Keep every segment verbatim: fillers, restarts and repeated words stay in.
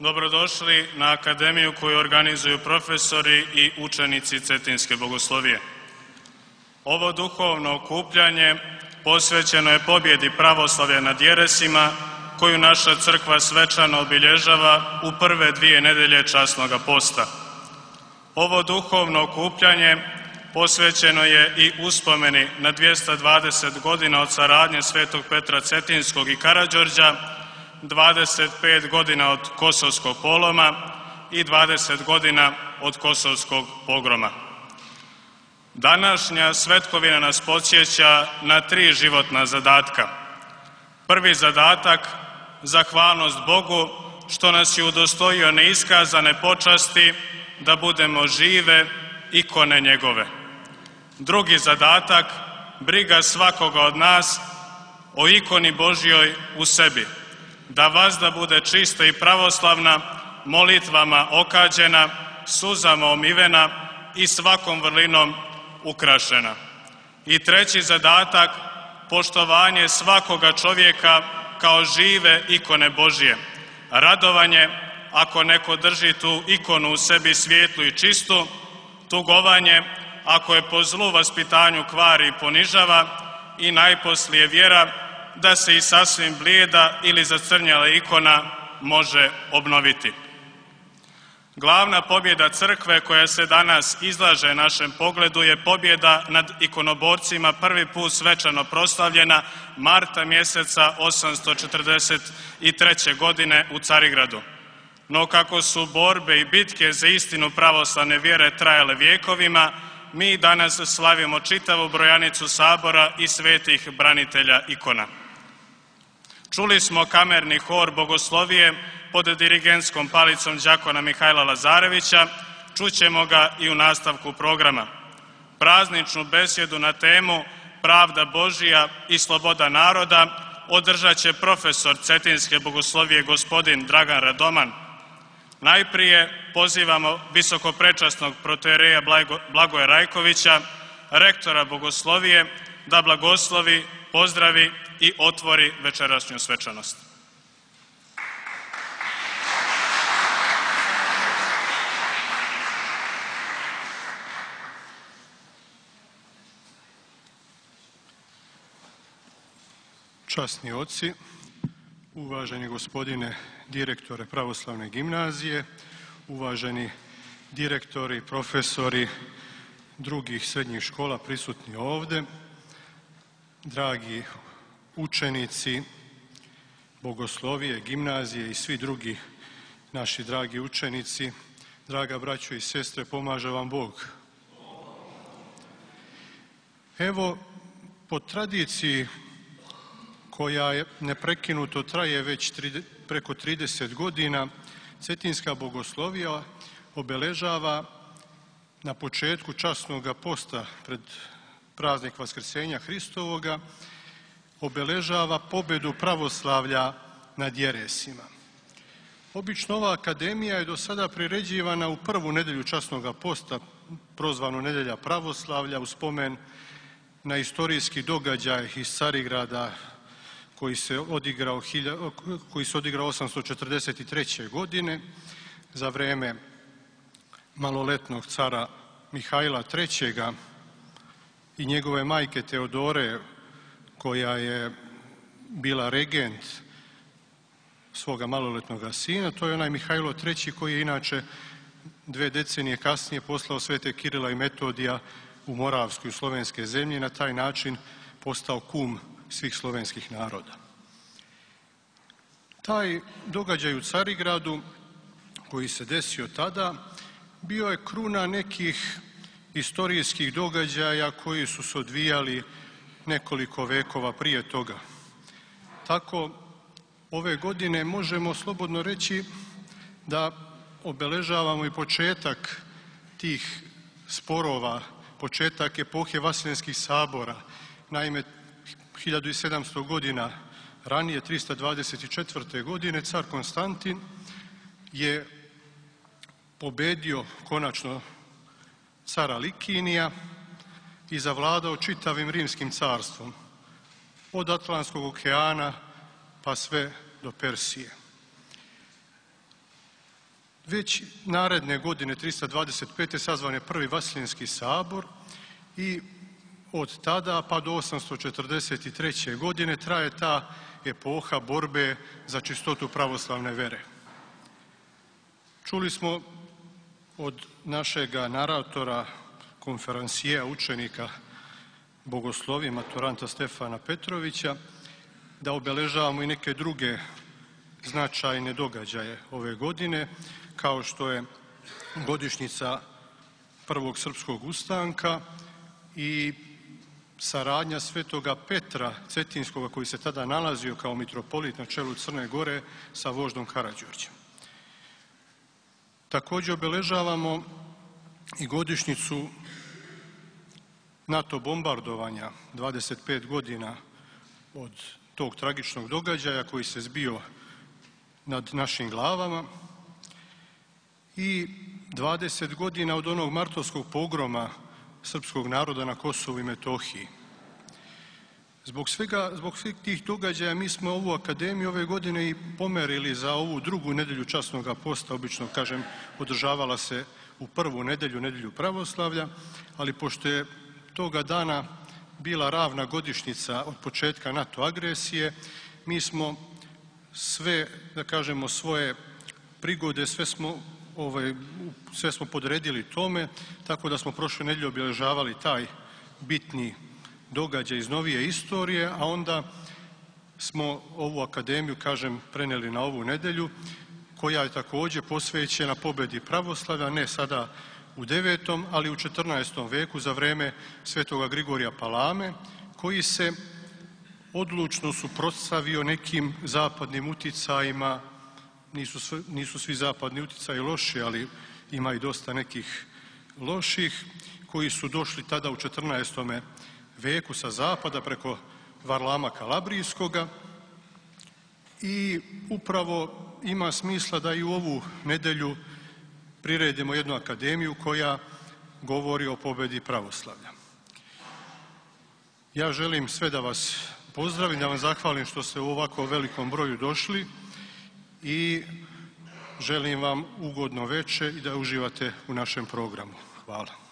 Dobrodošli na akademiju koju organizuju profesori i učenici Cetinske bogoslovije. Ovo duhovno okupljanje posvećeno je pobjedi pravoslavlja nad jeresima koju naša crkva svečano obilježava u prve dvije nedelje časnoga posta. Ovo duhovno okupljanje posvećeno je i uspomeni na dvjesto dvadeset godina od saradnje svetog Petra Cetinskog i Karađorđa, dvadeset pet godina od Kosovskog poloma i dvadeset godina od Kosovskog pogroma. Današnja svetkovina nas podsjeća na tri životna zadatka. Prvi zadatak, zahvalnost Bogu što nas je udostojio neiskazane počasti da budemo žive ikone njegove. Drugi zadatak, briga svakoga od nas o ikoni Božjoj u sebi, da vazda bude čista i pravoslavna, molitvama okađena, suzama omivena i svakom vrlinom ukrašena. I treći zadatak, poštovanje svakoga čovjeka kao žive ikone Božje, radovanje ako neko drži tu ikonu u sebi svijetlu i čistu, tugovanje ako je po zlu vaspitanju kvari i ponižava i najposlije vjera da se i sasvim blijeda ili zacrnjala ikona može obnoviti. Glavna pobjeda crkve koja se danas izlaže našem pogledu je pobjeda nad ikonoborcima prvi put svečano proslavljena marta mjeseca osamsto četrdeset treće. godine u Carigradu. No kako su borbe i bitke za istinu pravoslavne vjere trajale vjekovima, mi danas slavimo čitavu brojanicu sabora i svetih branitelja ikona. Čuli smo kamerni hor bogoslovije pod dirigentskom palicom đakona Mihajla Lazarevića, čućemo ga i u nastavku programa. Prazničnu besjedu na temu Pravda Božja i sloboda naroda održat će profesor Cetinske bogoslovije gospodin Dragan Radoman. Najprije pozivamo visokoprečasnog protoijereja Blagoja Rajkovića, rektora bogoslovije, da blagoslovi, pozdravi i otvori večerašnju svečanost. Časni oci, uvaženi gospodine direktore Pravoslavne gimnazije, uvaženi direktori, profesori drugih srednjih škola prisutni ovdje, dragi učenici bogoslovije, gimnazije i svi drugi naši dragi učenici, draga braćo i sestre, pomaže vam Bog. Evo, po tradiciji koja je neprekinuto traje već preko trideset godina, Cetinska bogoslovija obeležava na početku časnoga posta pred praznik Vaskrsenja Hristovoga, obeležava pobjedu pravoslavlja nad jeresima. Obično ova akademija je do sada priređivana u prvu nedelju časnoga posta, prozvanu Nedelja pravoslavlja, u spomen na istorijski događaj iz Carigrada koji se odigrao, koji se odigrao osamsto četrdeset treće. godine za vrijeme maloletnog cara Mihajla trećega. i njegove majke Teodore, koja je bila regent svoga maloletnog sina. To je onaj Mihajlo treći koji je inače dve decenije kasnije poslao svete Kirila i Metodija u Moravsku i slovenske zemlje i na taj način postao kum svih slovenskih naroda. Taj događaj u Carigradu koji se desio tada bio je kruna nekih istorijskih događaja koji su se odvijali nekoliko vekova prije toga. Tako ove godine možemo slobodno reći da obeležavamo i početak tih sporova, početak epohe Vaseljenskih sabora. Naime, hiljadu sedamsto godina ranije, trista dvadeset četvrte. godine, car Konstantin je pobedio konačno cara Likinija i zavladao čitavim rimskim carstvom, od Atlantskog okeana pa sve do Persije. Već naredne godine, trista dvadeset pete. sazvan je prvi Vaseljenski sabor i od tada pa do osamsto četrdeset treće. godine traje ta epoha borbe za čistotu pravoslavne vere. Čuli smo od našega naratora, konferansijea, učenika bogoslovije, maturanta Stefana Petrovića, da obeležavamo i neke druge značajne događaje ove godine, kao što je godišnjica prvog srpskog ustanka i saradnja svetoga Petra Cetinskoga, koji se tada nalazio kao mitropolit na čelu Crne Gore, sa voždom Karađorđem. Također obeležavamo i godišnjicu NATO bombardovanja, dvadeset pet godina od tog tragičnog događaja koji se zbio nad našim glavama i dvadeset godina od onog martovskog pogroma srpskog naroda na Kosovu i Metohiji. Zbog svega, zbog svih tih događaja mi smo ovu akademiju ove godine i pomerili za ovu drugu nedelju časnog posta. Obično, kažem, održavala se u prvu nedelju, nedelju pravoslavlja, ali pošto je toga dana bila ravna godišnjica od početka NATO agresije, mi smo sve, da kažemo, svoje prigode, sve smo, ovaj, sve smo podredili tome, tako da smo prošle nedelje obilježavali taj bitni događaj iz novije istorije, a onda smo ovu akademiju, kažem, prenijeli na ovu nedelju, koja je također posvećena pobedi pravoslavlja, ne sada u devetom, ali u četrnaestom veku za vrijeme svetoga Grigorija Palame, koji se odlučno suprotstavio nekim zapadnim uticajima. Nisu, sve, nisu svi zapadni uticaji loši, ali ima i dosta nekih loših koji su došli tada u četrnaestom veku sa zapada preko Varlama Kalabrijskoga i upravo ima smisla da i u ovu nedelju priredimo jednu akademiju koja govori o pobedi pravoslavlja. Ja želim sve da vas pozdravim, da vam zahvalim što ste u ovako velikom broju došli i želim vam ugodno veče i da uživate u našem programu. Hvala.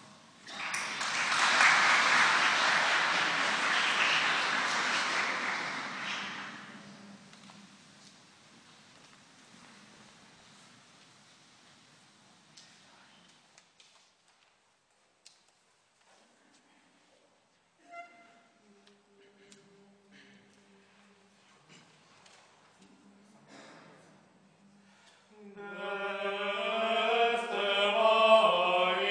Deste vai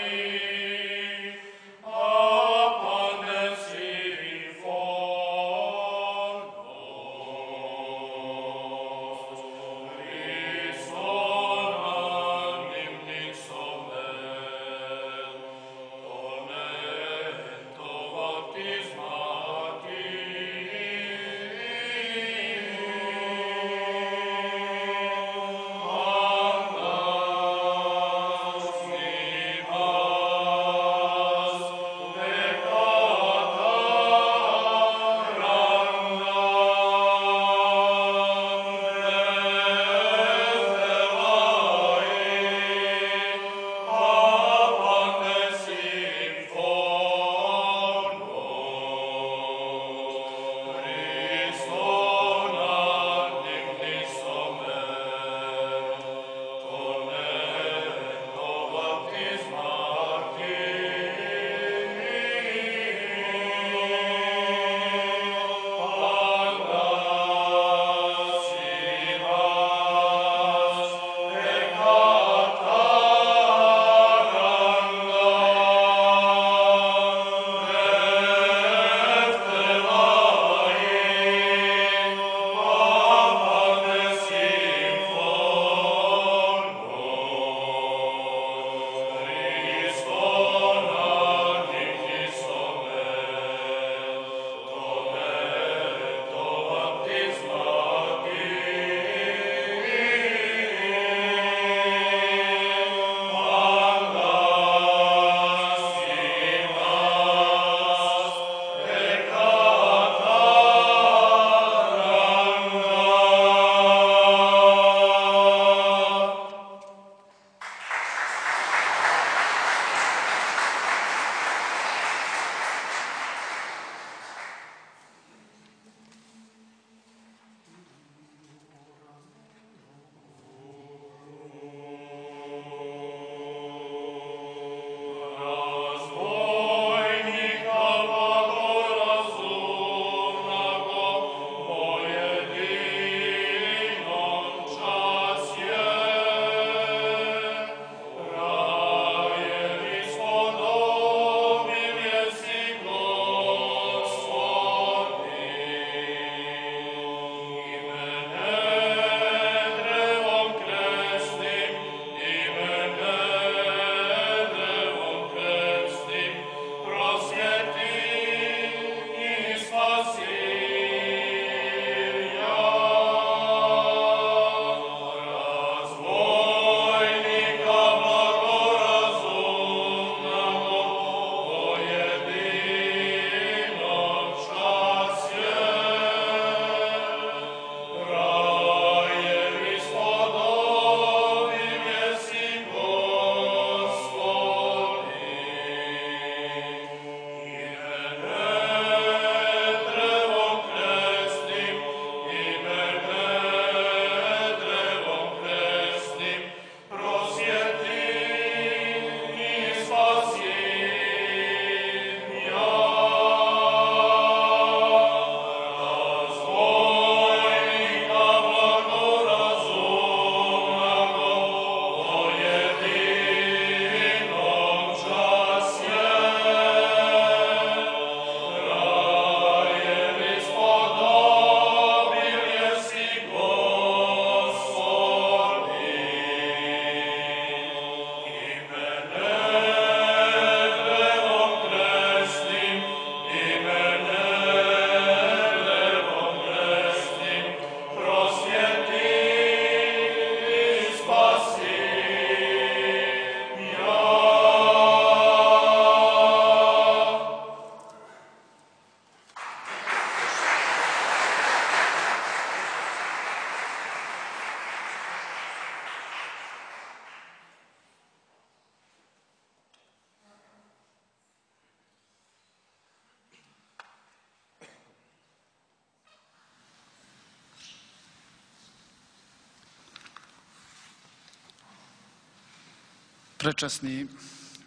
Prečasni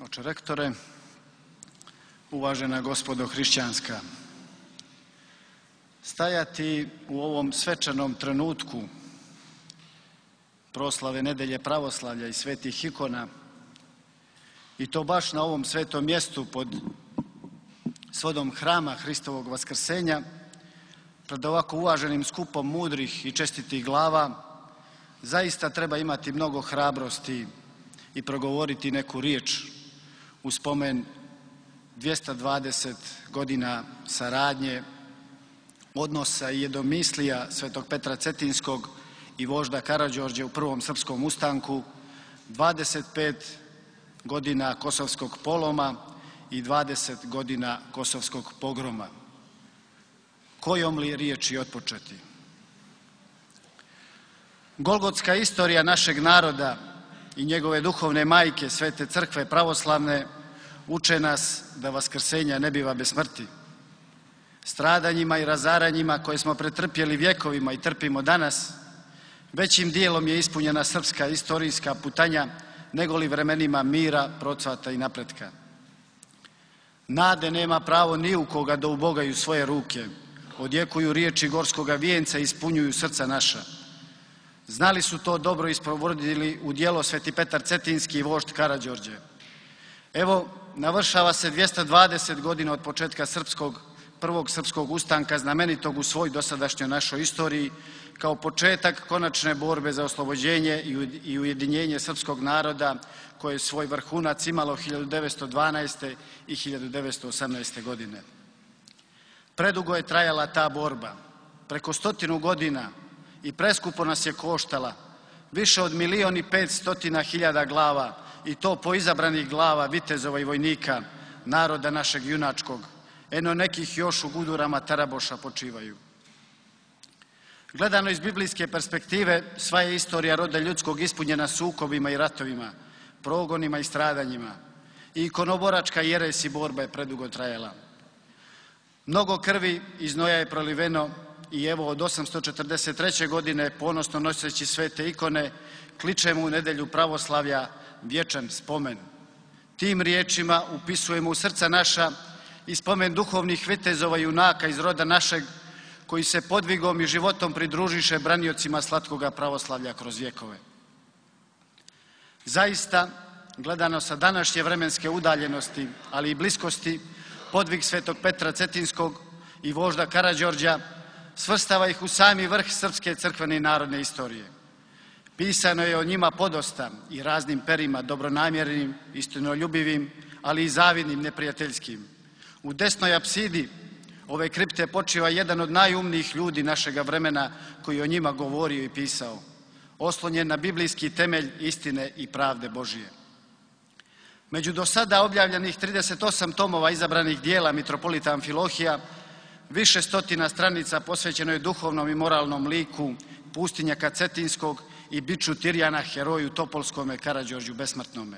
oče rektore, uvažena gospodo hrišćanska, stajati u ovom svečanom trenutku proslave Nedelje pravoslavlja i svetih ikona i to baš na ovom svetom mjestu pod svodom hrama Hristovog vaskrsenja, pred ovako uvaženim skupom mudrih i čestitih glava, zaista treba imati mnogo hrabrosti i progovoriti neku riječ u spomen dvjesto dvadeset godina saradnje, odnosa i jedomislija svetog Petra Cetinskog i vožda Karađorđa u prvom srpskom ustanku, dvadeset pet godina Kosovskog poloma i dvadeset godina Kosovskog pogroma. Kojom li riječi otpočeti? Golgotska istorija našeg naroda i njegove duhovne majke, Svete crkve pravoslavne, uče nas da vaskrsenja ne biva bez smrti. Stradanjima i razaranjima koje smo pretrpjeli vjekovima i trpimo danas, većim dijelom je ispunjena srpska istorijska putanja nego li vremenima mira, procvata i napretka. Nade nema pravo ni u koga da ubogaju svoje ruke, odjekuju riječi gorskoga vijenca i ispunjuju srca naša. Znali su to dobro i sprovodili u djelo Sveti Petar Cetinski i vožd Karađorđe. Evo, navršava se dvjesto dvadeset godina od početka srpskog, prvog srpskog ustanka, znamenitog u svoj dosadašnjoj našoj istoriji, kao početak konačne borbe za oslobođenje i ujedinjenje srpskog naroda koje je svoj vrhunac imalo hiljadu devetsto dvanaeste. i hiljadu devetsto osamnaeste. godine. Predugo je trajala ta borba, preko stotinu godina, i preskupo nas je koštala, više od milion i pet stotina hiljada glava, i to po izabranih glava vitezova i vojnika, naroda našeg junačkog, eno nekih još u gudurama Taraboša počivaju. Gledano iz biblijske perspektive, sva je istorija roda ljudskog ispunjena sukobima i ratovima, progonima i stradanjima, i ikonoboračka jeres i borba je predugo trajala. Mnogo krvi i znoja je proliveno i evo od osamsto četrdeset treće. godine, ponosno noseći svete ikone, kličemo u Nedelju pravoslavlja vječan spomen. Tim riječima upisujemo u srca naša i spomen duhovnih vitezova i junaka iz roda našeg, koji se podvigom i životom pridružiše braniocima slatkoga pravoslavlja kroz vjekove. Zaista, gledano sa današnje vremenske udaljenosti, ali i bliskosti, podvig svetog Petra Cetinskog i vožda Karađorđa svrstava ih u sami vrh srpske crkvene i narodne istorije. Pisano je o njima podosta i raznim perima, dobronamjernim, istinoljubivim, ali i zavidnim, neprijateljskim. U desnoj apsidi ove kripte počiva jedan od najumnijih ljudi našega vremena koji o njima govorio i pisao, oslonjen na biblijski temelj istine i pravde Božije. Među do sada objavljenih trideset osam tomova izabranih dijela mitropolita Amfilohija, više stotina stranica posvećeno je duhovnom i moralnom liku pustinjaka Cetinskog i biču Tirjana, heroju Topolskome, Karađorđu besmrtnome.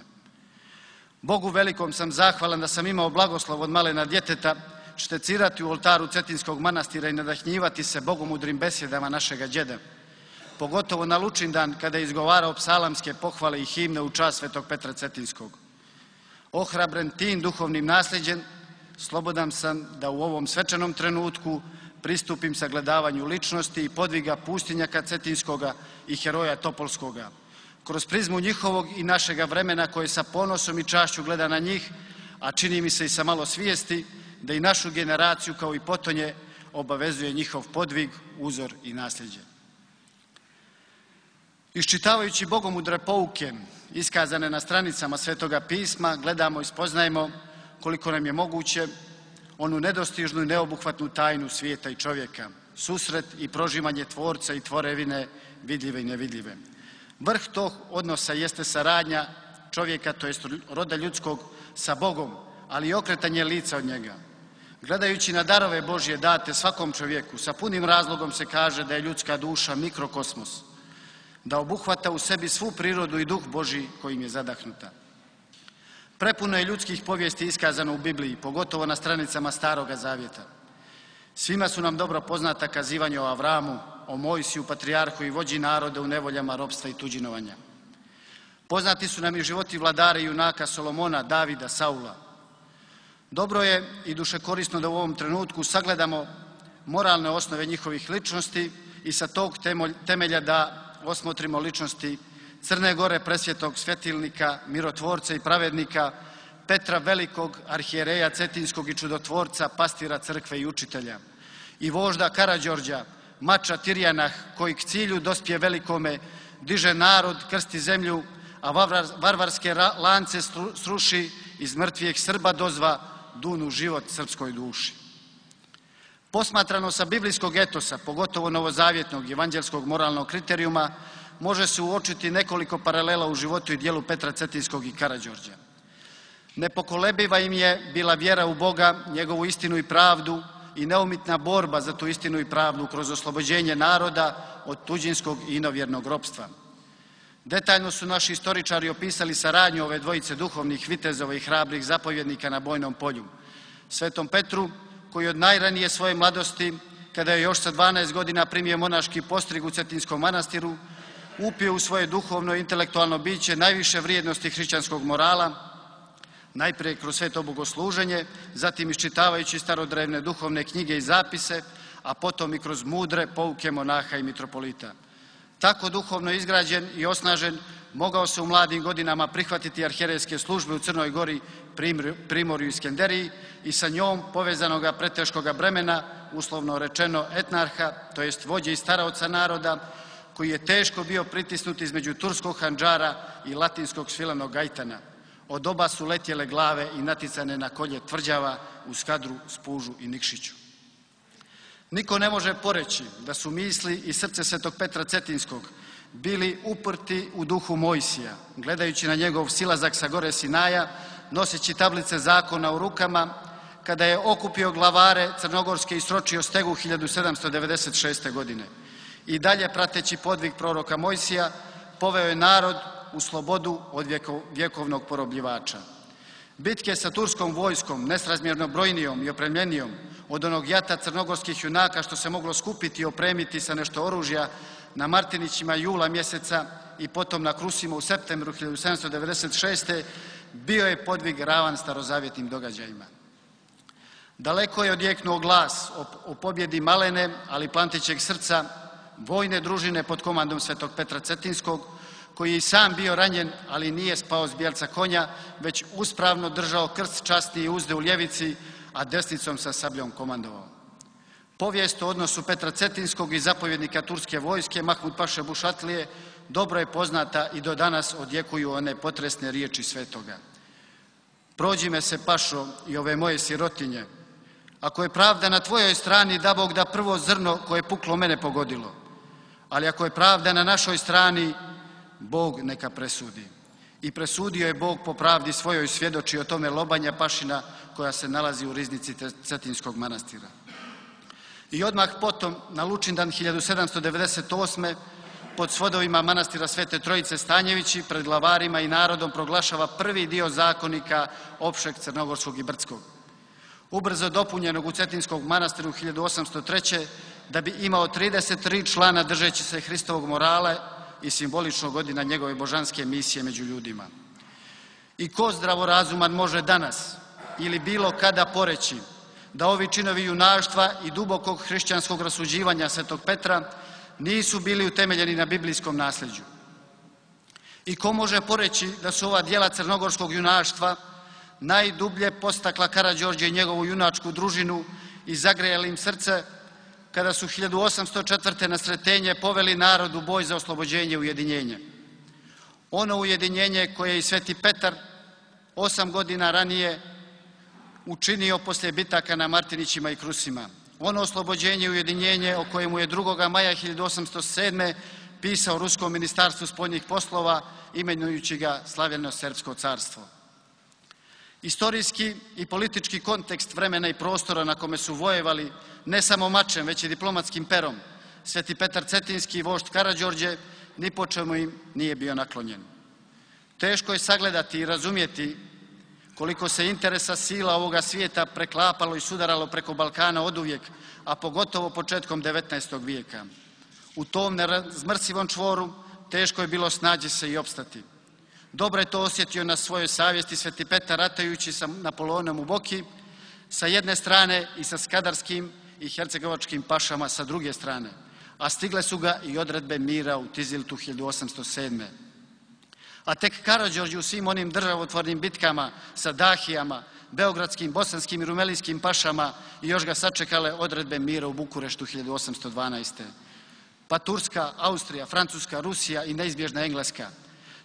Bogu velikom sam zahvalan da sam imao blagoslov od malena djeteta štecirati u oltaru Cetinskog manastira i nadahnjivati se bogomudrim besjedama našega djeda, pogotovo na Lučindan kada je izgovarao psalamske pohvale i himne u čast svetog Petra Cetinskog. Ohrabren tim duhovnim nasljeđem, slobodan sam da u ovom svečanom trenutku pristupim sagledavanju ličnosti i podviga pustinjaka Cetinskoga i heroja Topolskoga, kroz prizmu njihovog i našega vremena koje sa ponosom i čašću gleda na njih, a čini mi se i sa malo svijesti da i našu generaciju kao i potonje obavezuje njihov podvig, uzor i nasljeđe. Iščitavajući bogomudre pouke iskazane na stranicama Svetoga pisma, gledamo i spoznajemo koliko nam je moguće onu nedostižnu i neobuhvatnu tajnu svijeta i čovjeka, susret i prožimanje tvorca i tvorevine vidljive i nevidljive. Vrh tog odnosa jeste saradnja čovjeka, to jest roda ljudskog, sa Bogom, ali i okretanje lica od njega. Gledajući na darove Božje date svakom čovjeku, sa punim razlogom se kaže da je ljudska duša mikrokosmos, da obuhvata u sebi svu prirodu i duh Božji kojim je zadahnuta. Prepuno je ljudskih povijesti iskazano u Bibliji, pogotovo na stranicama Staroga Zavjeta. Svima su nam dobro poznata kazivanja o Avramu, o Mojsiju, patrijarhu i vođi naroda u nevoljama, ropstva i tuđinovanja. Poznati su nam i životi vladara i junaka Solomona, Davida, Saula. Dobro je i dušekorisno da u ovom trenutku sagledamo moralne osnove njihovih ličnosti i sa tog temelja da osmotrimo ličnosti Crne Gore, presvjetog svetilnika, mirotvorca i pravednika, Petra Velikog, arhijereja Cetinskog i čudotvorca, pastira crkve i učitelja, i vožda Karađorđa, mača Tirjanah, koji k cilju dospije velikome diže narod, krsti zemlju, a varvarske lance sruši, iz mrtvijeg Srba dozva dunu život srpskoj duši. Posmatrano sa biblijskog etosa, pogotovo novozavjetnog evanđelskog moralnog kriterijuma, može se uočiti nekoliko paralela u životu i dijelu Petra Cetinskog i Karađorđa. Nepokolebiva im je bila vjera u Boga, njegovu istinu i pravdu i neumitna borba za tu istinu i pravdu kroz oslobođenje naroda od tuđinskog i inovjernog ropstva. Detaljno su naši istoričari opisali saradnju ove dvojice duhovnih vitezova i hrabrih zapovjednika na bojnom polju. Svetom Petru, koji od najranije svoje mladosti, kada je još sa dvanaest godina primio monaški postrig u Cetinskom manastiru, upio u svoje duhovno i intelektualno biće najviše vrijednosti hrišćanskog morala, najprije kroz sveto bogosluženje, zatim iščitavajući starodrevne duhovne knjige i zapise, a potom i kroz mudre pouke monaha i mitropolita. Tako duhovno izgrađen i osnažen, mogao se u mladim godinama prihvatiti arhijerejske službe u Crnoj Gori, Primorju i Skenderiji i sa njom povezanoga preteškoga bremena, uslovno rečeno etnarha, to jest vođe i staraoca naroda, koji je teško bio pritisnut između turskog handžara i latinskog svilanog gajtana. Od oba su letjele glave i naticane na kolje tvrđava u Skadru, Spužu i Nikšiću. Niko ne može poreći da su misli i srce svetog Petra Cetinskog bili uprti u duhu Mojsija, gledajući na njegov silazak sa gore Sinaja, noseći tablice zakona u rukama, kada je okupio glavare crnogorske i sročio stegu hiljadu sedamsto devedeset šeste. godine. I dalje, prateći podvig proroka Mojsija, poveo je narod u slobodu od vjekovnog porobljivača. Bitke sa turskom vojskom, nesrazmjerno brojnijom i opremljenijom od onog jata crnogorskih junaka što se moglo skupiti i opremiti sa nešto oružja na Martinićima jula mjeseca i potom na Krusima u septembru hiljadu sedamsto devedeset šeste. bio je podvig ravan starozavjetnim događajima. Daleko je odjeknuo glas o pobjedi malene, ali plantićeg srca, vojne družine pod komandom svetog Petra Cetinskog, koji je i sam bio ranjen, ali nije spao s bijelca konja, već uspravno držao krst časti i uzde u ljevici, a desnicom sa sabljom komandovao. Povijest o odnosu Petra Cetinskog i zapovjednika turske vojske Mahmud Paše Bušatlije dobro je poznata i do danas odjekuju one potresne riječi svetoga. Prođi me se, Pašo, i ove moje sirotinje. Ako je pravda na tvojoj strani, da Bog da prvo zrno koje je puklo mene pogodilo. Ali ako je pravda na našoj strani, Bog neka presudi. I presudio je Bog po pravdi svojoj, svjedoči o tome Lobanja Pašina koja se nalazi u riznici Cetinskog manastira. I odmah potom, na Lučindan hiljadu sedamsto devedeset osme. pod svodovima manastira Svete Trojice Stanjevići pred glavarima i narodom proglašava prvi dio zakonika opšeg crnogorskog i brdskog. Ubrzo dopunjenog u Cetinskog manastiru hiljadu osamsto treće. da bi imao trideset tri člana držeći se Hristovog morala i simbolično godina njegove božanske misije među ljudima. I ko zdravorazuman može danas ili bilo kada poreći da ovi činovi junaštva i dubokog hrišćanskog rasuđivanja svetog Petra nisu bili utemeljeni na biblijskom nasljeđu? I ko može poreći da su ova djela crnogorskog junaštva najdublje postakla Karađorđe i njegovu junačku družinu i zagrejali im srce kada su hiljadu osamsto četvrte. na Sretenje poveli narod u boj za oslobođenje i ujedinjenje. Ono ujedinjenje koje je i sveti Petar osam godina ranije učinio poslije bitaka na Martinićima i Krusima. Ono oslobođenje i ujedinjenje o kojemu je drugoga maja hiljadu osamsto sedme. pisao Ruskom ministarstvu spoljnih poslova imenujući ga Slavljeno Srpsko carstvo. Istorijski i politički kontekst vremena i prostora na kome su vojevali ne samo mačem, već i diplomatskim perom, sveti Petar Cetinski i vožd Karađorđe ni po čemu im nije bio naklonjen. Teško je sagledati i razumjeti koliko se interesa sila ovoga svijeta preklapalo i sudaralo preko Balkana oduvijek, a pogotovo početkom devetnaestog vijeka. U tom nerazmrsivom čvoru teško je bilo snaći se i opstati. Dobro je to osjetio na svojoj savjesti Sveti Petar ratajući sa Napoleonom u Boki sa jedne strane i sa skadarskim i hercegovačkim pašama sa druge strane, a stigle su ga i odredbe mira u Tiziltu hiljadu osamsto sedme. A tek Karađorđe u svim onim državotvornim bitkama sa Dahijama, beogradskim, bosanskim i rumelijskim pašama i još ga sačekale odredbe mira u Bukureštu hiljadu osamsto dvanaeste. Pa Turska, Austrija, Francuska, Rusija i neizbježna Engleska.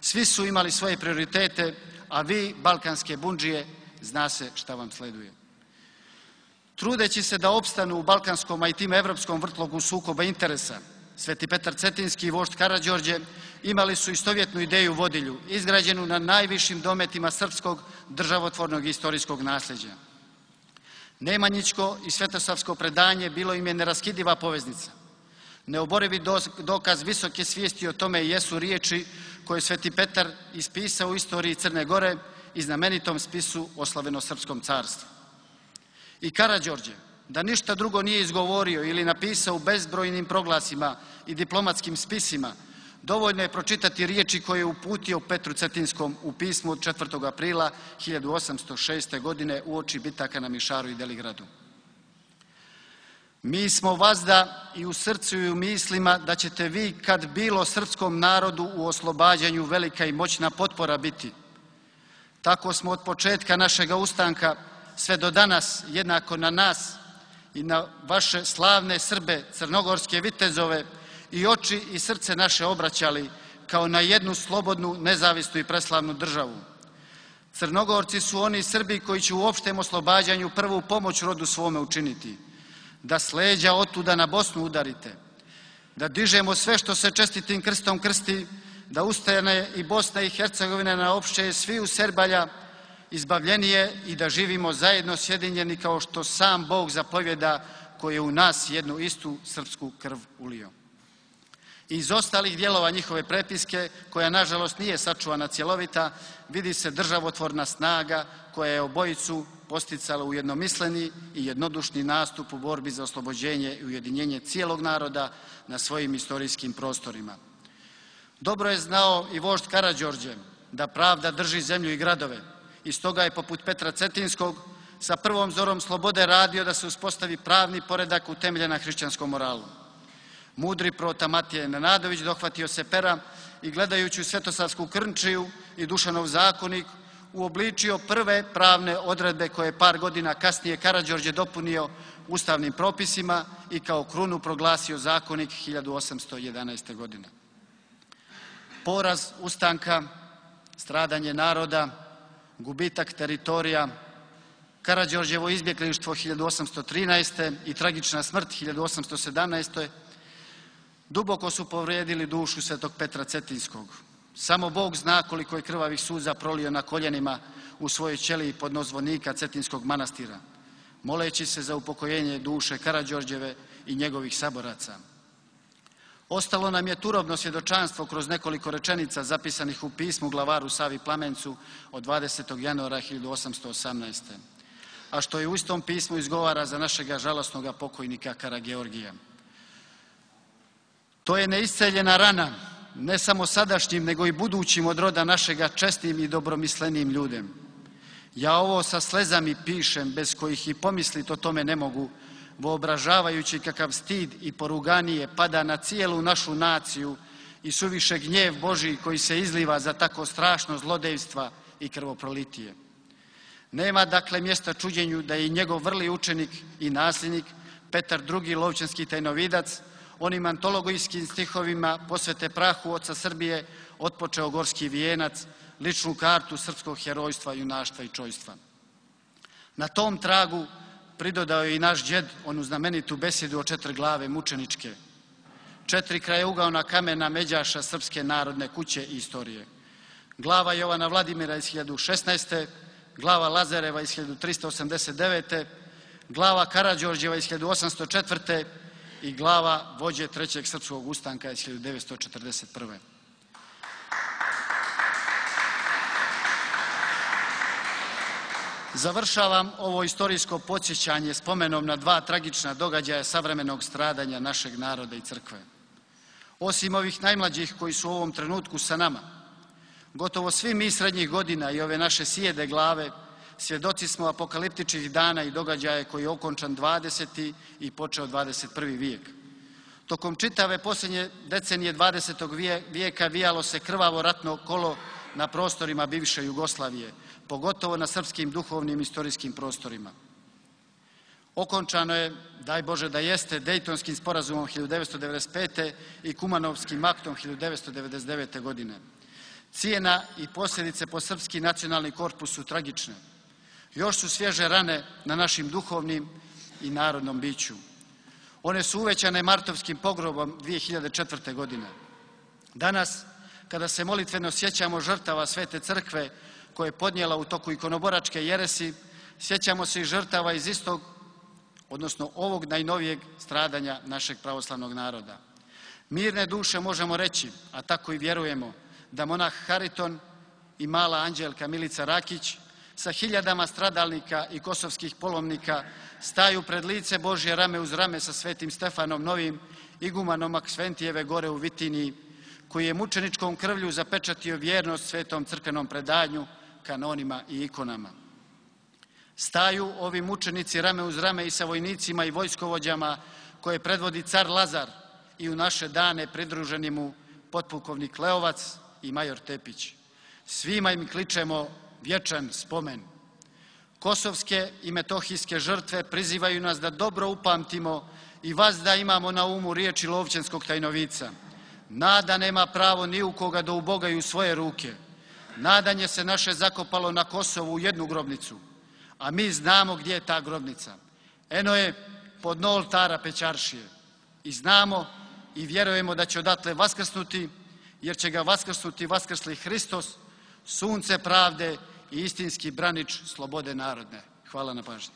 Svi su imali svoje prioritete, a vi, balkanske bundžije, zna se šta vam sleduje. Trudeći se da opstanu u balkanskom, a i tim evropskom vrtlogu sukoba interesa, Sveti Petar Cetinski i vožd Karađorđe imali su istovjetnu ideju vodilju, izgrađenu na najvišim dometima srpskog državotvornog i istorijskog nasljeđa. Nemanjićko i svetosavsko predanje bilo im je neraskidiva poveznica. Neoborivi dokaz visoke svijesti o tome jesu riječi koje Sveti Petar ispisao u istoriji Crne Gore i znamenitom spisu o Slaveno-srpskom carstvu. I Karađorđe, da ništa drugo nije izgovorio ili napisao u bezbrojnim proglasima i diplomatskim spisima, dovoljno je pročitati riječi koje je uputio Petru Cetinskom u pismu od četvrtog aprila hiljadu osamsto šeste. godine uoči bitaka na Mišaru i Deligradu. Mi smo vazda i u srcu i u mislima da ćete vi, kad bilo srpskom narodu u oslobađanju velika i moćna potpora biti. Tako smo od početka našega ustanka sve do danas jednako na nas i na vaše slavne Srbe, crnogorske vitezove i oči i srce naše obraćali kao na jednu slobodnu, nezavisnu i preslavnu državu. Crnogorci su oni Srbi koji će u opštem oslobađanju prvu pomoć rodu svome učiniti. Da s leđa otuda na Bosnu udarite, da dižemo sve što se čestitim krstom krsti, da ustane i Bosna i Hercegovina na opšte svi u Serbalja izbavljenije i da živimo zajedno sjedinjeni kao što sam Bog zapovjeda koji je u nas jednu istu srpsku krv ulio. Iz ostalih dijelova njihove prepiske, koja nažalost nije sačuvana cjelovita, vidi se državotvorna snaga koja je obojicu posticala u jednomisleni i jednodušni nastup u borbi za oslobođenje i ujedinjenje cijelog naroda na svojim istorijskim prostorima. Dobro je znao i vožd Karađorđe da pravda drži zemlju i gradove i stoga je poput Petra Cetinskog sa prvom zorom slobode radio da se uspostavi pravni poredak utemeljen na hrišćanskom moralu. Mudri prota Matija Nenadović dohvatio se pera i gledajući u Svetosavsku Krnčiju i Dušanov zakonik uobličio prve pravne odredbe koje je par godina kasnije Karađorđe dopunio ustavnim propisima i kao krunu proglasio zakonik hiljadu osamsto jedanaeste. godine. Poraz ustanka, stradanje naroda, gubitak teritorija, Karađorđevo izbjeglištvo hiljadu osamsto trinaeste. i tragična smrt hiljadu osamsto sedamnaeste. duboko su povrijedili dušu Svetog Petra Cetinskog. Samo Bog zna koliko je krvavih suza prolio na koljenima u svojoj ćeliji pod zvonika Cetinskog manastira, moleći se za upokojenje duše Karađorđeve i njegovih saboraca. Ostalo nam je turobno svjedočanstvo kroz nekoliko rečenica zapisanih u pismu glavaru Savi Plamencu od dvadesetog januara hiljadu osamsto osamnaeste. a što je u istom pismu izgovara za našega žalosnoga pokojnika Karageorgija. To je neisceljena rana, ne samo sadašnjim, nego i budućim od roda našega čestnim i dobromislenim ljudem. Ja ovo sa slezami pišem, bez kojih i pomislit o tome ne mogu, voobražavajući kakav stid i poruganije pada na cijelu našu naciju i suviše gnjev Božji koji se izliva za tako strašno zlodejstva i krvoprolitije. Nema dakle mjesta čuđenju da je i njegov vrli učenik i nasljednik Petar drugi Lovćanski tajnovidac onim antologijskim stihovima posvete prahu oca Srbije otpočeo gorski vijenac, ličnu kartu srpskog herojstva, junaštva i čojstva. Na tom tragu pridodao je i naš džed onu znamenitu besjedu o četiri glave mučeničke, četiri krajeugaona kamena međaša Srpske narodne kuće i istorije. Glava Jovana Vladimira iz hiljadu šesnaeste. glava Lazareva iz hiljadu tristo osamdeset devete. glava Karađorđeva iz hiljadu osamsto četvrte. i glava vođe Trećeg srpskog ustanka iz hiljadu devetsto četrdeset prve. Završavam ovo istorijsko podsjećanje spomenom na dva tragična događaja savremenog stradanja našeg naroda i crkve. Osim ovih najmlađih koji su u ovom trenutku sa nama, Gotovo svi mi srednjih godina i ove naše sijede glave svjedoci smo apokaliptičnih dana i događaja koji je okončan dvadeseti i počeo dvadeset prvi vijek. Tokom čitave posljednje decenije dvadesetog vijeka vijalo se krvavo ratno kolo na prostorima bivše Jugoslavije, pogotovo na srpskim duhovnim istorijskim prostorima. Okončano je, daj Bože da jeste, Dejtonskim sporazumom hiljadu devetsto devedeset pete i Kumanovskim aktom hiljadu devetsto devedeset devete godine. Cijena i posljedice po srpski nacionalni korpus su tragične. Još su svježe rane na našim duhovnim i narodnom biću. One su uvećane martovskim pogrobom dvije hiljade četvrte. godine. Danas, kada se molitveno sjećamo žrtava Svete crkve koje je podnijela u toku ikonoboračke jeresi, sjećamo se i žrtava iz istog, odnosno ovog najnovijeg stradanja našeg pravoslavnog naroda. Mirne duše možemo reći, a tako i vjerujemo, da monah Hariton i mala anđelka Milica Rakić sa hiljadama stradalnika i kosovskih polovnika staju pred lice Božje rame uz rame sa Svetim Stefanom Novim, igumanom Aksventijeve gore u Vitiniji, koji je mučeničkom krvlju zapečatio vjernost svetom crkvenom predanju, kanonima i ikonama. Staju ovi mučenici rame uz rame i sa vojnicima i vojskovođama koje predvodi car Lazar i u naše dane pridruženi mu potpukovnik Leovac i major Tepić. Svima im kličemo vječan spomen. Kosovske i metohijske žrtve prizivaju nas da dobro upamtimo i vas da imamo na umu riječi Lovćenskog tajnovica. Nada nema pravo ni u koga da u Boga i u svoje ruke. Nadanje se naše zakopalo na Kosovu u jednu grobnicu, a mi znamo gdje je ta grobnica. Eno je pod dno oltara Pećaršije. I znamo i vjerujemo da će odatle vaskrsnuti, jer će ga vaskrsnuti vaskrsli Hristos, sunce pravde i istinski branič slobode narodne. Hvala na pažnji.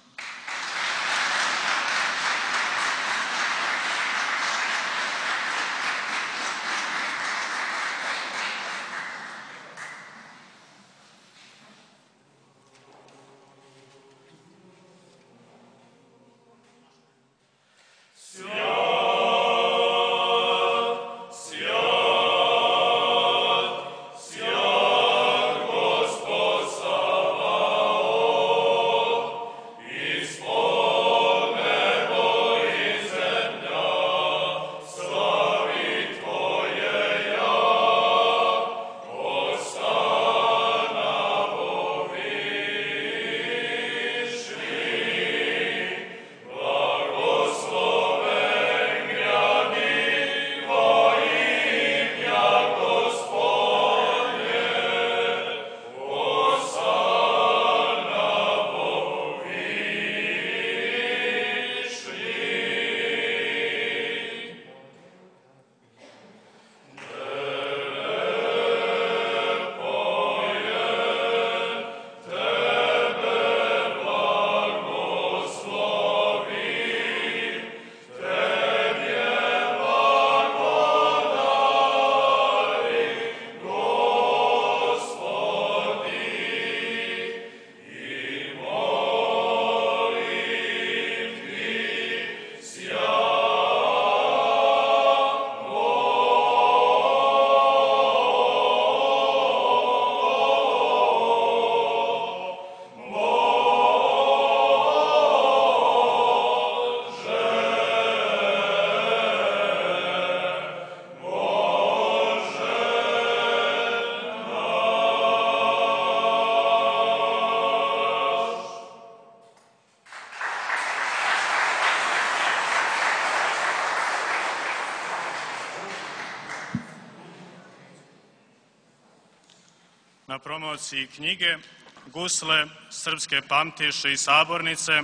Na promociji knjige Gusle srpske pamtiše i sabornice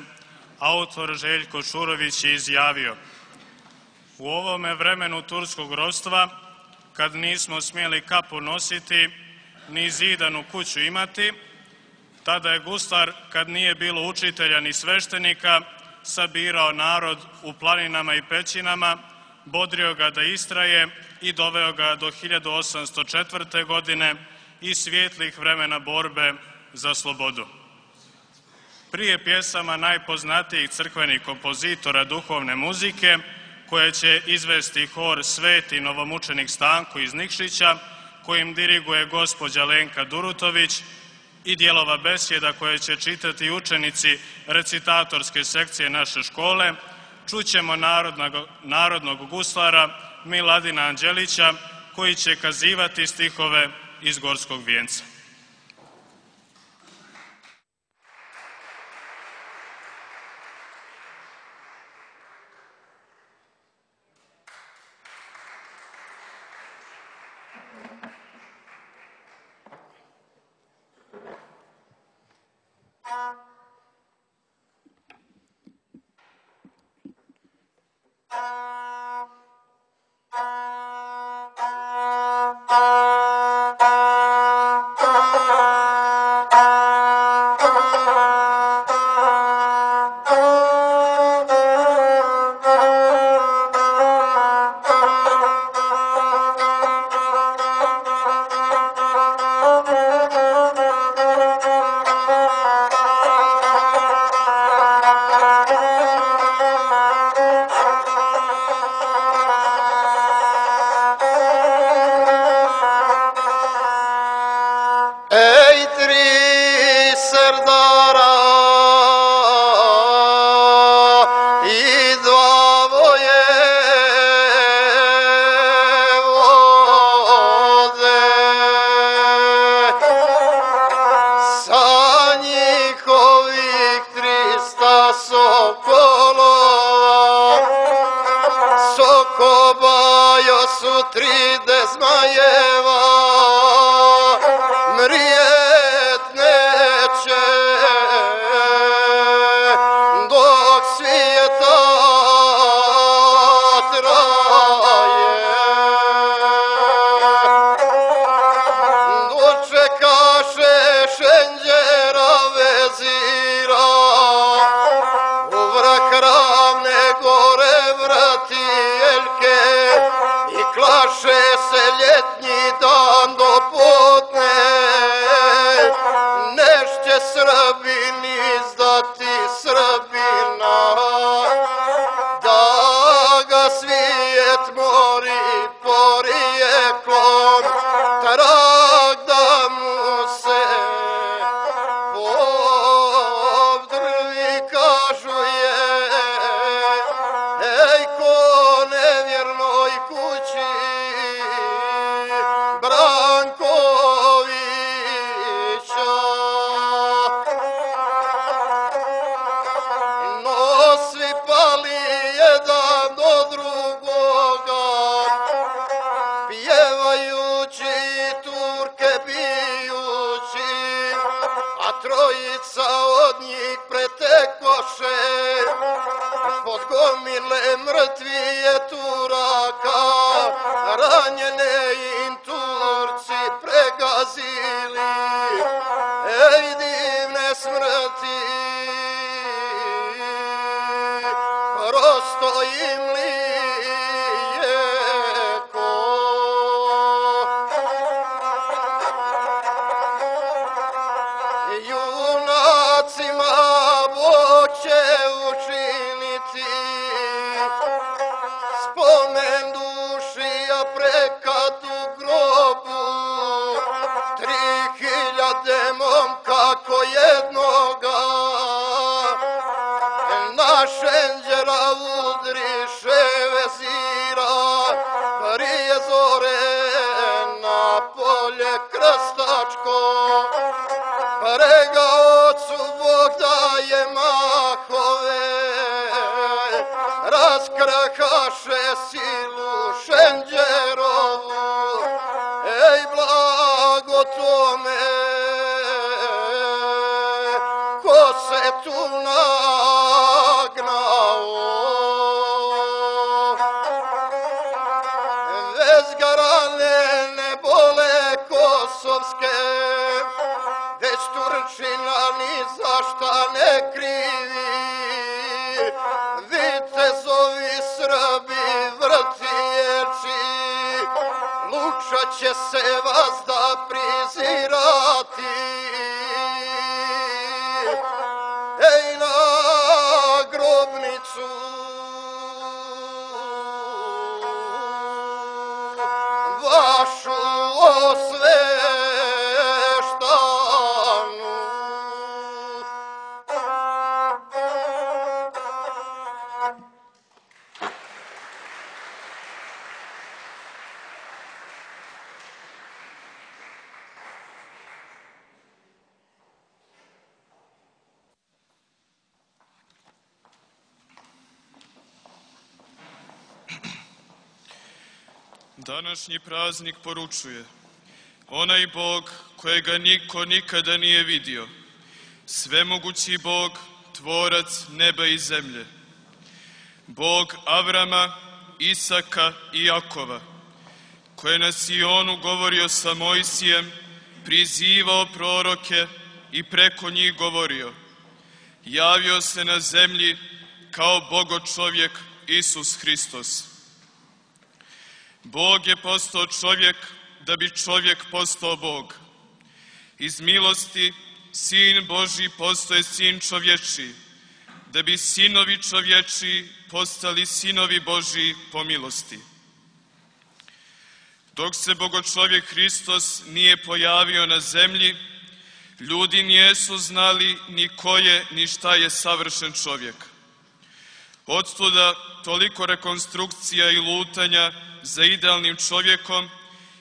autor Željko Šurović je izjavio: u ovome vremenu turskog ropstva, kad nismo smjeli kapu nositi, ni zidanu kuću imati, tada je guslar, kad nije bilo učitelja ni sveštenika, sabirao narod u planinama i pećinama, bodrio ga da istraje i doveo ga do hiljadu osamsto četvrte. godine i svijetlih vremena borbe za slobodu. Prije pjesama najpoznatijih crkvenih kompozitora duhovne muzike, koje će izvesti hor Sveti novomučenik Stanko iz Nikšića, kojim diriguje gospođa Lenka Durutović i dijelova besjeda koje će čitati učenici recitatorske sekcije naše škole, čućemo narodnog, narodnog guslara Miladina Anđelića koji će kazivati stihove iz Gorskog vijenca. Današnji praznik poručuje: onaj Bog kojega niko nikada nije vidio, svemogući Bog, tvorac neba i zemlje, Bog Avrama, Isaka i Jakova, koji je na Sionu govorio sa Mojsijem, prizivao proroke i preko njih govorio, javio se na zemlji kao Bogo čovjek Isus Hristos. Bog je postao čovjek da bi čovjek postao Bog. Iz milosti Sin Božji postoje Sin čovječiji, da bi sinovi čovječiji postali sinovi Božji po milosti. Dok se Bogočovjek Hristos nije pojavio na zemlji, ljudi nijesu znali ni ko je, ni šta je savršen čovjek. Odstuda toliko rekonstrukcija i lutanja za idealnim čovjekom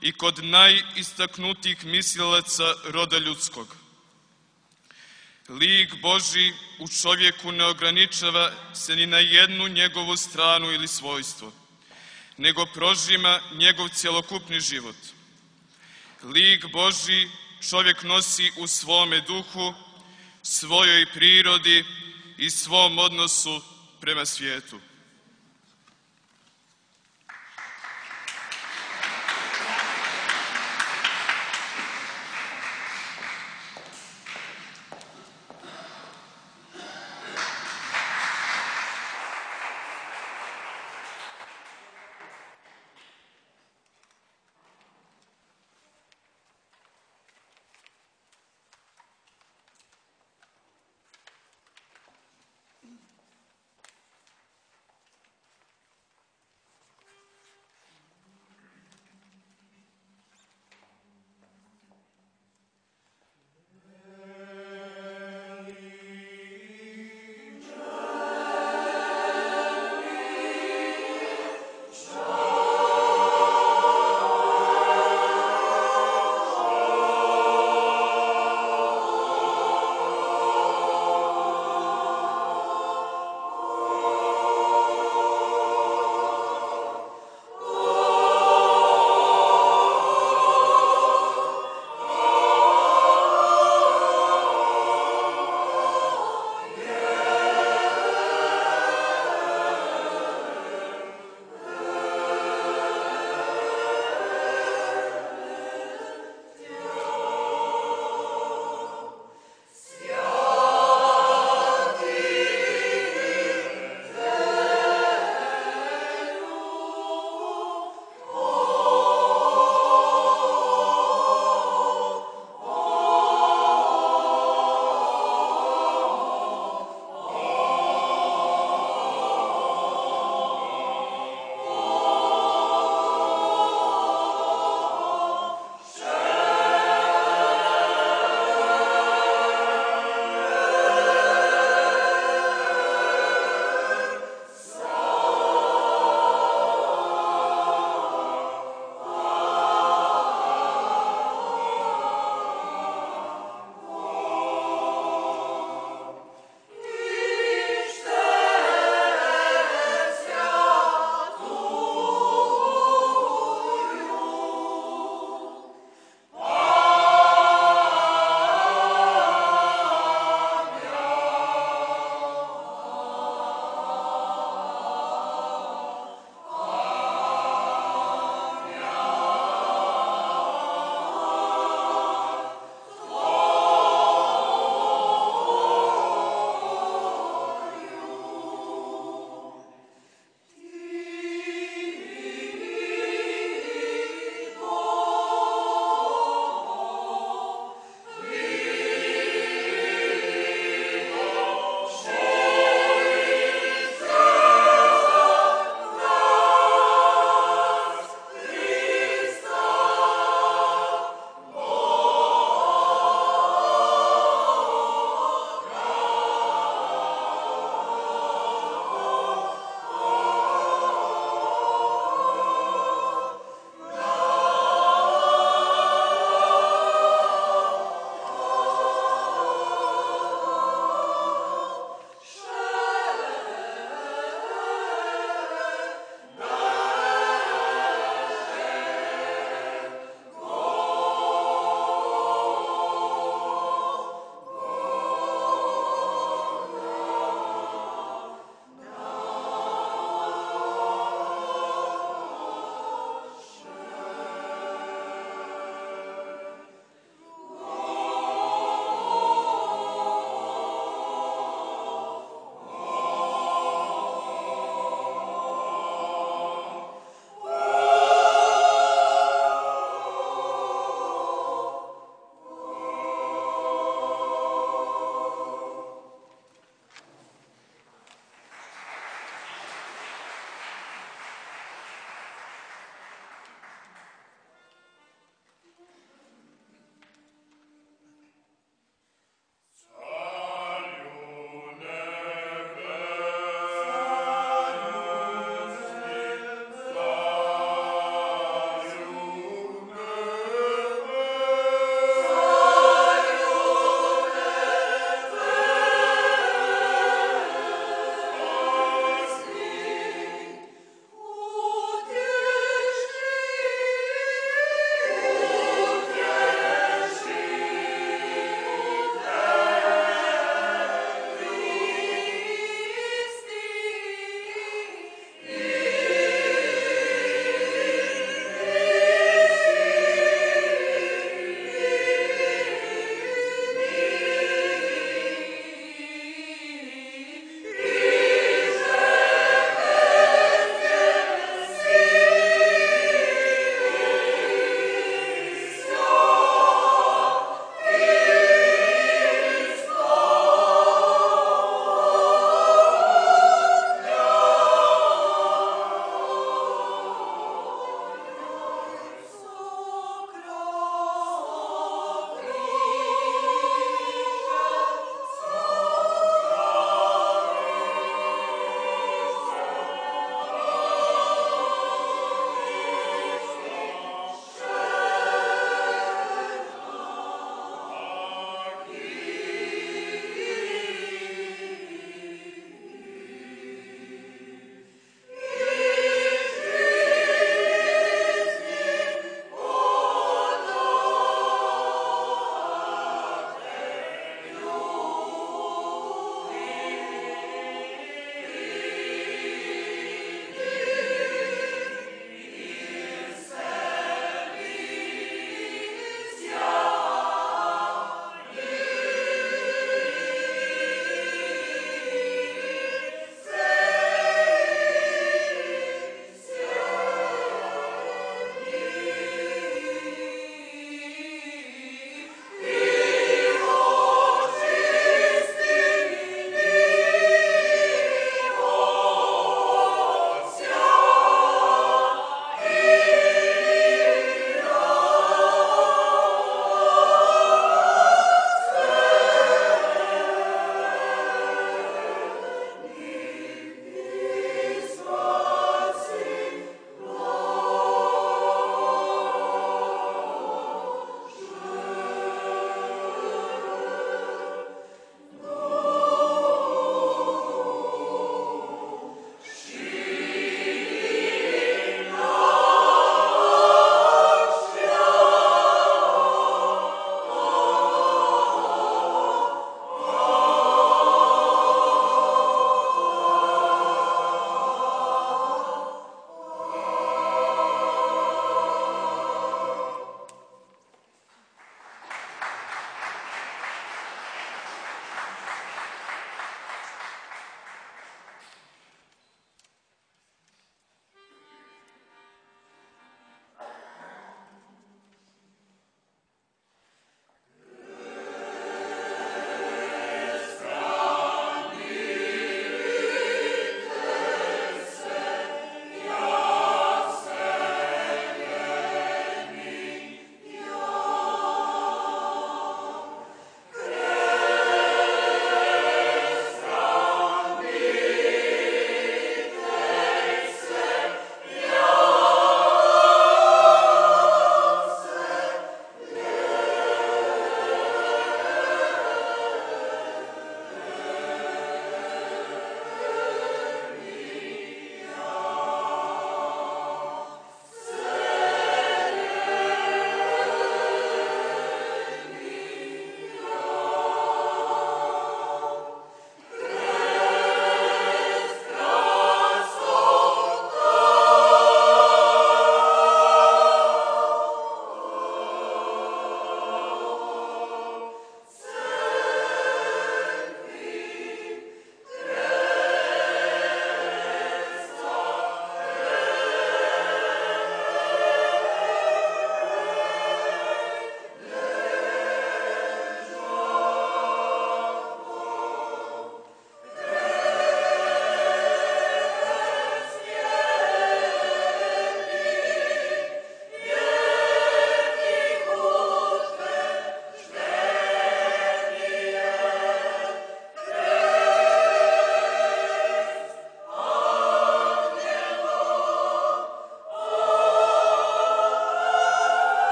i kod najistaknutijih mislilaca roda ljudskog. Lik Božji u čovjeku ne ograničava se ni na jednu njegovu stranu ili svojstvo, nego prožima njegov cjelokupni život. Lik Božji čovjek nosi u svome duhu, svojoj prirodi i svom odnosu prema svijetu.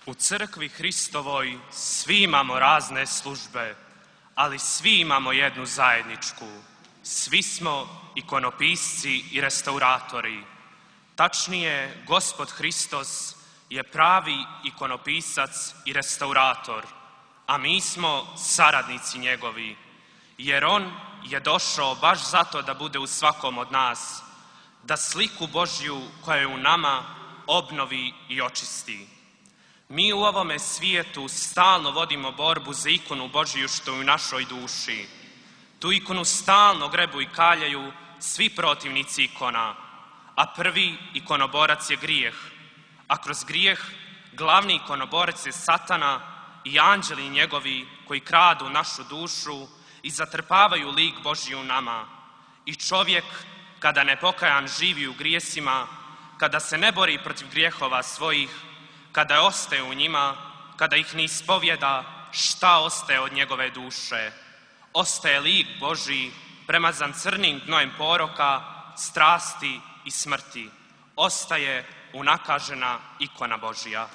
U crkvi Hristovoj svi imamo razne službe, ali svi imamo jednu zajedničku. Svi smo ikonopisci i restauratori. Tačnije, Gospod Hristos je pravi ikonopisac i restaurator, a mi smo saradnici njegovi, jer on je došao baš zato da bude u svakom od nas, da sliku Božju koja je u nama obnovi i očisti. Mi u ovome svijetu stalno vodimo borbu za ikonu Božju što je u našoj duši. Tu ikonu stalno grebu i kaljaju svi protivnici ikona, a prvi ikonoborac je grijeh, a kroz grijeh glavni ikonoborac je Satana i anđeli njegovi koji kradu našu dušu i zatrpavaju lik Božji u nama. I čovjek, kada nepokajan živi u grijesima, kada se ne bori protiv grijehova svojih, kada ostaje u njima, kada ih ne ispovjeda, šta ostaje od njegove duše? Ostaje lik Božji premazan crnim gnojem poroka, strasti i smrti. Ostaje unakažena ikona Božja.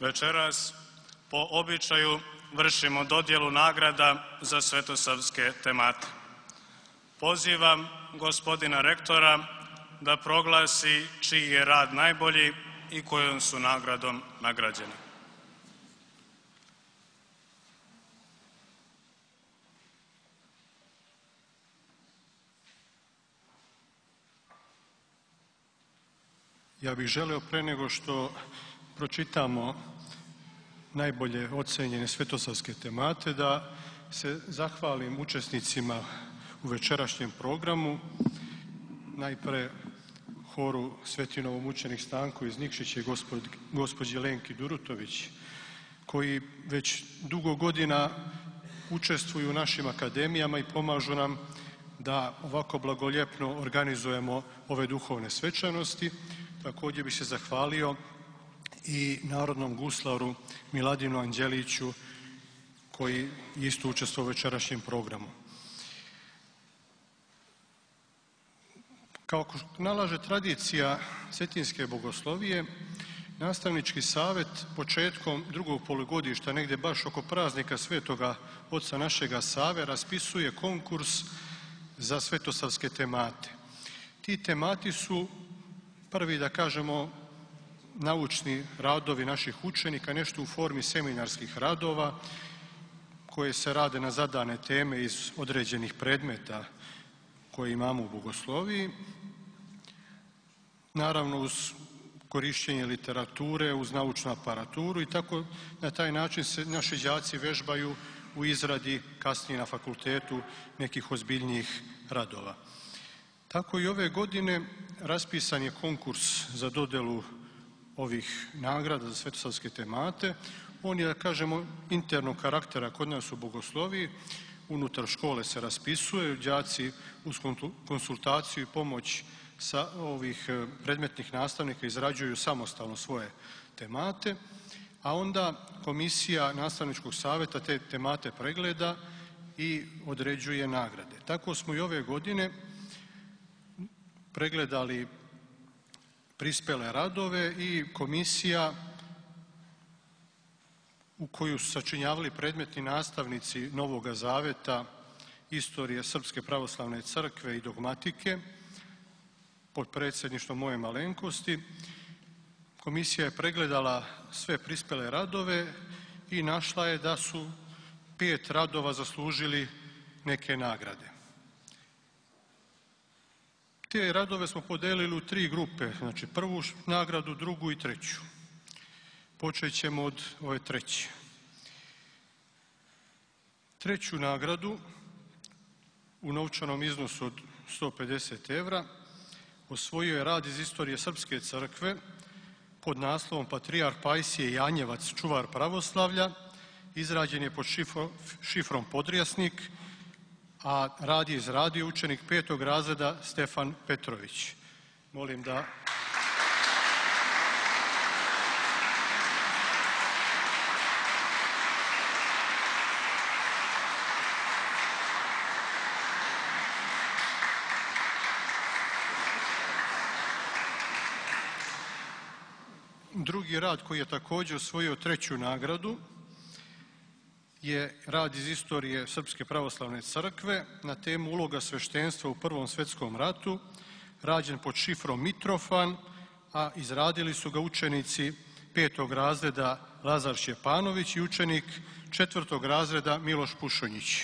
Večeras po običaju vršimo dodjelu nagrada za svetosavske temate. Pozivam gospodina rektora da proglasi čiji je rad najbolji i kojom su nagradom nagrađeni. Ja bih želeo pre nego što pročitamo najbolje ocenjene svetosavske temate da se zahvalim učesnicima u večerašnjem programu, najpre horu Sveti novomučenik Stanko iz Nikšića i gospođi Lenki Durutović, koji već dugo godina učestvuju u našim akademijama i pomažu nam da ovako blagoljepno organizujemo ove duhovne svečanosti. Također bih se zahvalio i narodnom guslaru Miladinu Anđeliću koji isto učestvuje u večerašnjem programu. Kao nalaže tradicija cetinske bogoslovije, nastavnički savjet početkom drugog polugodišta, negdje baš oko praznika Svetoga Oca našega Save, raspisuje konkurs za svetosavske temate. Ti temati su prvi, da kažemo, naučni radovi naših učenika, nešto u formi seminarskih radova koje se rade na zadane teme iz određenih predmeta koje imamo u bogosloviji. Naravno uz korišćenje literature, uz naučnu aparaturu i tako na taj način se naši đaci vežbaju u izradi kasnije na fakultetu nekih ozbiljnijih radova. Tako i ove godine raspisan je konkurs za dodelu ovih nagrada za svetosavske temate. On je, da kažemo, internog karaktera kod nas u bogosloviji, unutar škole se raspisuje, đaci uz konsultaciju i pomoć sa ovih predmetnih nastavnika izrađuju samostalno svoje temate, a onda komisija nastavničkog savjeta te temate pregleda i određuje nagrade. Tako smo i ove godine pregledali prispele radove i komisija u koju su sačinjavali predmetni nastavnici Novoga Zaveta, istorije Srpske pravoslavne crkve i dogmatike, pod predsjedništvom moje malenkosti. Komisija je pregledala sve prispele radove i našla je da su pet radova zaslužili neke nagrade. Te radove smo podelili u tri grupe, znači prvu nagradu, drugu i treću. Počet ćemo od ove treće. Treću nagradu u novčanom iznosu od sto pedeset evra osvojio je rad iz istorije Srpske crkve pod naslovom Patrijarh Pajsije Janjevac, čuvar pravoslavlja. Izrađen je pod šifrom Podrijasnik, a rad je izradio učenik petog razreda Stefan Petrović. Molim da... Drugi rad koji je također osvojio treću nagradu je rad iz istorije Srpske pravoslavne crkve na temu uloga sveštenstva u Prvom svjetskom ratu, rađen pod šifrom Mitrofan, a izradili su ga učenici petog razreda Lazar Šćepanović i učenik četvrtog razreda Miloš Pušonjić.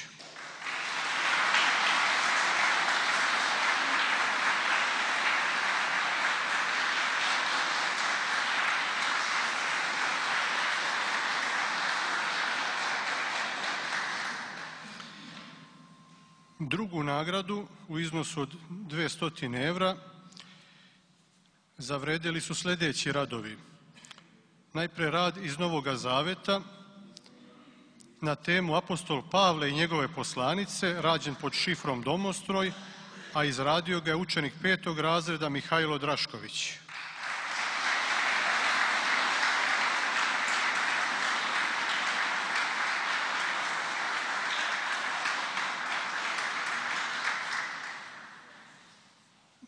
Drugu nagradu u iznosu od dvjesto evra zavredili su sljedeći radovi. Najpre rad iz Novoga Zaveta na temu Apostol Pavle i njegove poslanice, rađen pod šifrom Domostroj, a izradio ga je učenik petog razreda Mihajlo Drašković.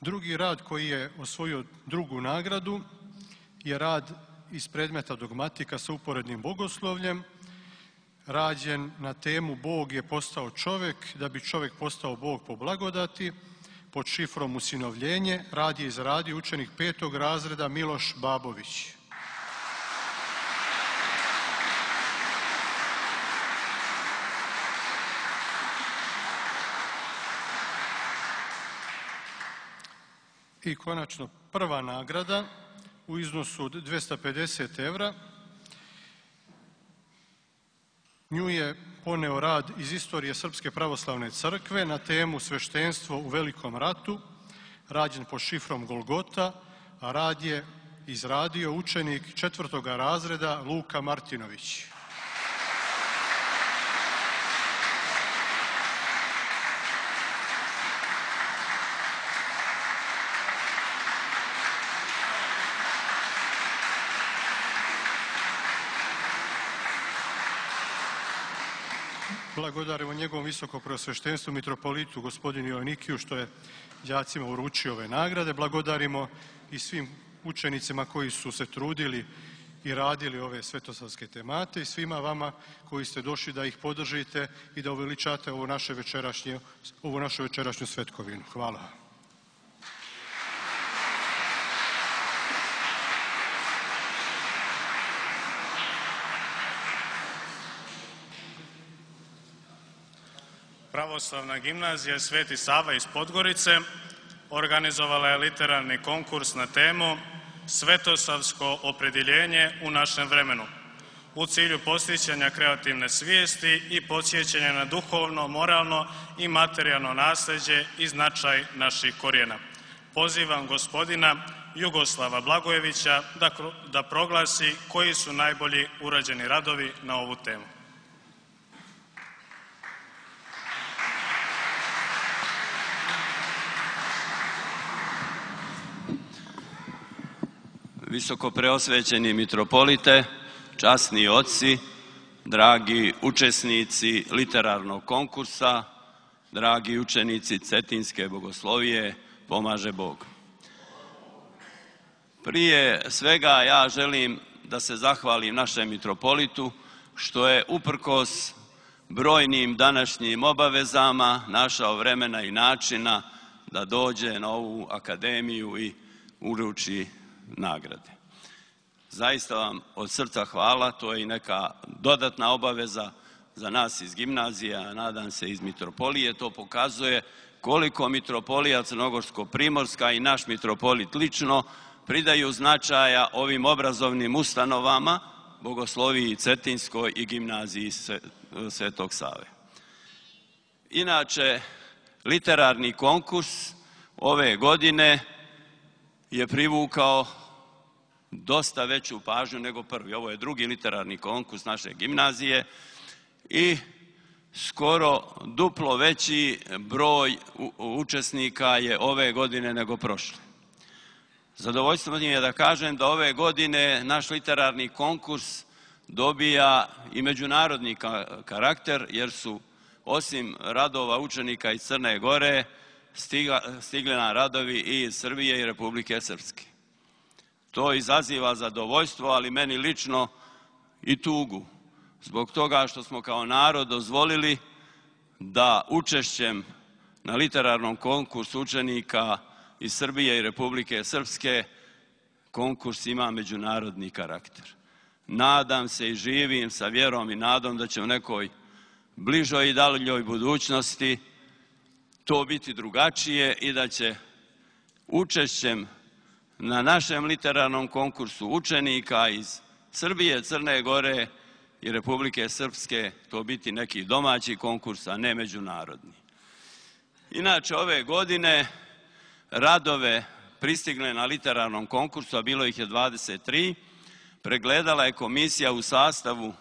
Drugi rad koji je osvojio drugu nagradu je rad iz predmeta dogmatika sa uporednim bogoslovljem, rađen na temu Bog je postao čovjek da bi čovjek postao Bog po blagodati, pod šifrom usinovljenje. Rad je izradio učenik petog razreda Miloš Babović. I konačno prva nagrada u iznosu od dvjesto pedeset evra. Nju je poneo rad iz istorije Srpske pravoslavne crkve na temu sveštenstvo u Velikom ratu, rađen pod šifrom Golgota, a rad je izradio učenik četvrtoga razreda Luka Martinović. Blagodarimo njegovom visokopreosveštenstvu mitropolitu gospodinu Joannikiju što je đacima uručio ove nagrade. Blagodarimo i svim učenicima koji su se trudili i radili ove svetosavske temate i svima vama koji ste došli da ih podržite i da uveličate ovu naše večerašnje, ovu našu večerašnju svetkovinu. Hvala. Pravoslavna gimnazija Sveti Sava iz Podgorice organizovala je literarni konkurs na temu Svetosavsko opredjeljenje u našem vremenu u cilju podsjećanja kreativne svijesti i podsjećanja na duhovno, moralno i materijalno nasljeđe i značaj naših korijena. Pozivam gospodina Jugoslava Blagojevića da, da proglasi koji su najbolji urađeni radovi na ovu temu. Visoko preosvećeni mitropolite, časni oci, dragi učesnici literarnog konkursa, dragi učenici Cetinske bogoslovije, pomaže Bog. Prije svega ja želim da se zahvalim našem mitropolitu što je uprkos brojnim današnjim obavezama našao vremena i načina da dođe na ovu akademiju i uruči nagrade. Zaista vam od srca hvala, to je i neka dodatna obaveza za nas iz gimnazije, a nadam se iz mitropolije. To pokazuje koliko mitropolija Crnogorsko-Primorska i naš mitropolit lično pridaju značaja ovim obrazovnim ustanovama, Bogosloviji Cetinskoj i gimnaziji Svetog Save. Inače, literarni konkurs ove godine je privukao dosta veću pažnju nego prvi. Ovo je drugi literarni konkurs naše gimnazije i skoro duplo veći broj učesnika je ove godine nego prošle. Zadovoljstvo mi je da kažem da ove godine naš literarni konkurs dobija i međunarodni karakter, jer su osim radova učenika iz Crne Gore stigli na radovi i iz Srbije i Republike Srpske. To izaziva zadovoljstvo, ali meni lično i tugu, zbog toga što smo kao narod dozvolili da učešćem na literarnom konkursu učenika iz Srbije i Republike Srpske konkurs ima međunarodni karakter. Nadam se i živim sa vjerom i nadom da će u nekoj bližoj i daljoj budućnosti to biti drugačije i da će učešćem na našem literarnom konkursu učenika iz Srbije, Crne Gore i Republike Srpske to biti neki domaći konkurs, a ne međunarodni. Inače, ove godine radove pristigle na literarnom konkursu, a bilo ih je dvadeset tri, pregledala je komisija u sastavu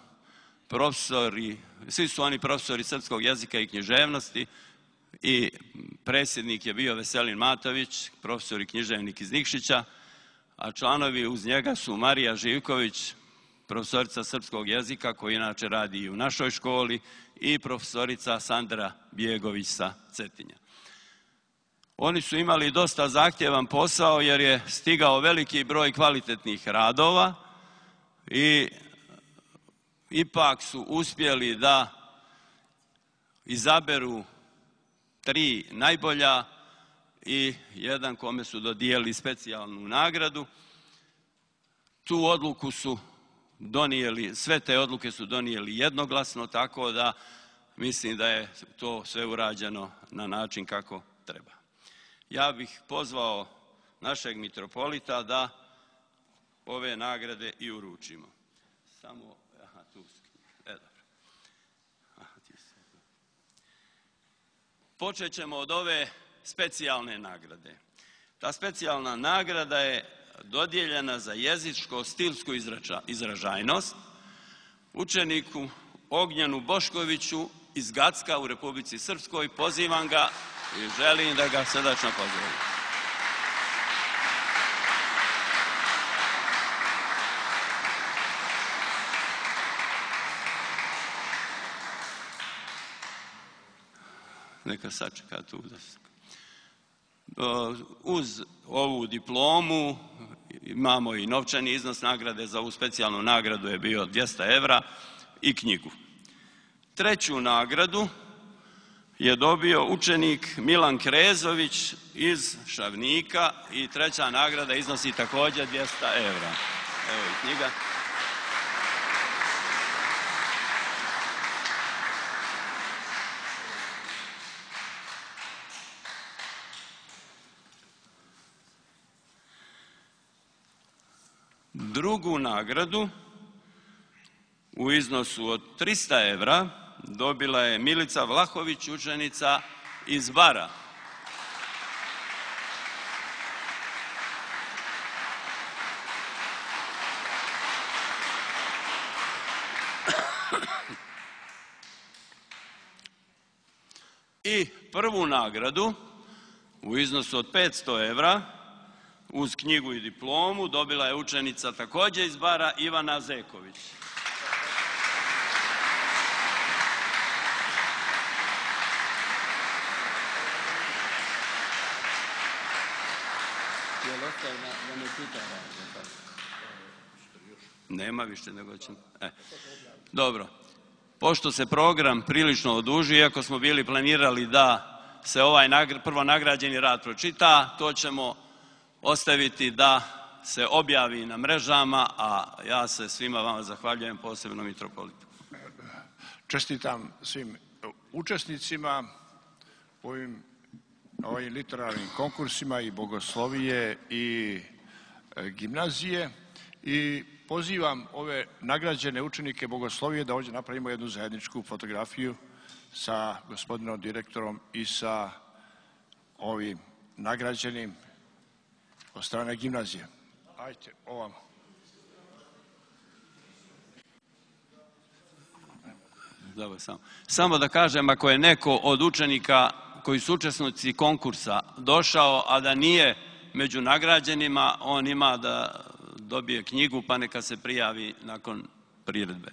profesori, svi su oni profesori srpskog jezika i književnosti, i predsjednik je bio Veselin Matović, profesor i književnik iz Nikšića, a članovi uz njega su Marija Živković, profesorica srpskog jezika, koja inače radi i u našoj školi, i profesorica Sandra Bjegović sa Cetinja. Oni su imali dosta zahtjevan posao jer je stigao veliki broj kvalitetnih radova, i ipak su uspjeli da izaberu tri najbolja i jedan kome su dodijelili specijalnu nagradu. Tu odluku su donijeli, sve te odluke su donijeli jednoglasno, tako da mislim da je to sve urađeno na način kako treba. Ja bih pozvao našeg mitropolita da ove nagrade i uručimo. Samo, aha, tu su. E, dobro. Aha, ti si. Počet ćemo od ove specijalne nagrade. Ta specijalna nagrada je dodijeljena za jezičko-stilsku izražajnost učeniku Ognjenu Boškoviću iz Gacka u Republici Srpskoj. Pozivam ga i želim da ga srdačno pozdravim. Neka sačeka tu da se... Uz ovu diplomu imamo i novčani iznos nagrade. Za ovu specijalnu nagradu je bio dvjesto evra i knjigu. Treću nagradu je dobio učenik Milan Krezović iz Šavnika i treća nagrada iznosi također dvjesto evra. Evo i knjiga. Drugu nagradu u iznosu od trista evra dobila je Milica Vlahović, učenica iz Bara. I prvu nagradu u iznosu od petsto evra uz knjigu i diplomu dobila je učenica također iz Bara, Ivana Zeković. Nema više nego će... E. Dobro. Pošto se program prilično oduži, iako smo bili planirali da se ovaj prvo nagrađeni rad pročita, to ćemo ostaviti da se objavi na mrežama, a ja se svima vama zahvaljujem, posebno mitropolitu. Čestitam svim učesnicima u ovim, ovim literarnim konkursima i bogoslovije i gimnazije i pozivam ove nagrađene učenike bogoslovije da ovdje napravimo jednu zajedničku fotografiju sa gospodinom direktorom i sa ovim nagrađenim od strane gimnazije. Ajde, ovamo. Dobro, samo. Samo da kažem, ako je neko od učenika koji su učesnici konkursa došao, a da nije među nagrađenima, on ima da dobije knjigu, pa neka se prijavi nakon priredbe.